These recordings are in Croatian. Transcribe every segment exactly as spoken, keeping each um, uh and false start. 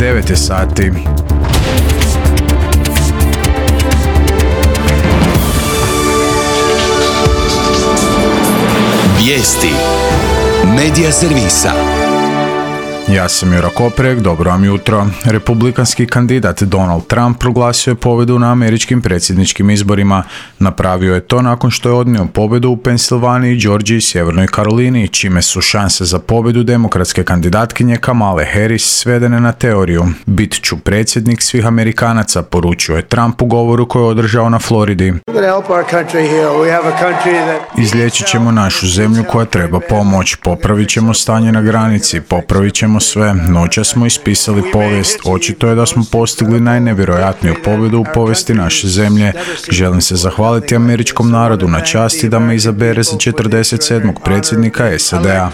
devet je sati. Vijesti Medija servisa. Ja sam Jura Koprek, dobro vam jutro. Republikanski kandidat Donald Trump proglasio je pobjedu na američkim predsjedničkim izborima. Napravio je to nakon što je odnio pobjedu u Pensilvaniji, Georgiji i Sjevernoj Karolini, čime su šanse za pobjedu demokratske kandidatkinje Kamale Harris svedene na teoriju. Bit ću predsjednik svih Amerikanaca, poručio je Trump u govoru koji je održao na Floridi. Izliječit ćemo našu zemlju koja treba pomoć, popravit ćemo stanje na granici, popravit ćemo sve. Noća smo ispisali povijest. Očito je da smo postigli najnevjerojatniju pobjedu u povijesti naše zemlje. Želim se zahvaliti američkom narodu na časti da me izabere za četrdeset sedmog predsjednika S A D-a.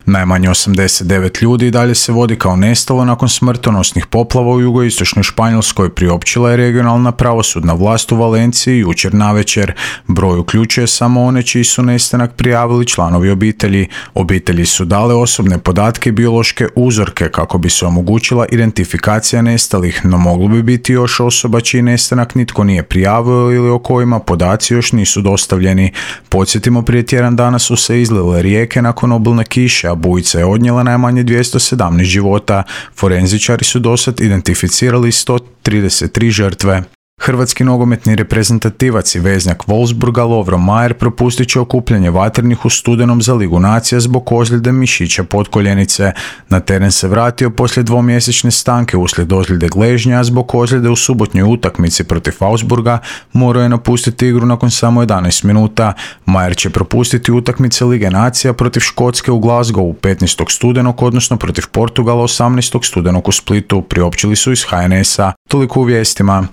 Najmanje osamdeset devet ljudi dalje se vodi kao nestalo nakon smrtonosnih poplava u jugoistočnoj Španjolskoj, priopćila je regionalna pravosudna vlast u Valenciji jučer navečer. Broj uključuje samo one čiji su nestanak prijavili članovi obitelji. Obitelji su dale osobne podatke i biološke uzorke kako bi se omogućila identifikacija nestalih, no moglo bi biti još osoba čiji nestanak nitko nije prijavio ili o kojima podaci još nisu dostavljeni. Podsjetimo, prije tjedan dana su se izlile rijeke nakon obilne kiše, a bujica je odnijela najmanje dvjesto sedamnaest života. Forenzičari su dosad identificirali sto trideset tri žrtve. Hrvatski nogometni reprezentativac i veznjak Wolfsburga Lovro Majer propustit će okupljanje vatrenih u studenom za Ligu nacija zbog ozljede mišića potkoljenice. Na teren se vratio poslije dvomjesečne stanke uslijed ozljede gležnja, a zbog ozljede u subotnjoj utakmici protiv Augsburga morao je napustiti igru nakon samo jedanaest minuta. Majer će propustiti utakmice Lige nacija protiv Škotske u Glasgowu petnaestog studenog, odnosno protiv Portugala osamnaestog studenog u Splitu, priopćili su iz H N S-a. Toliko u vijestima.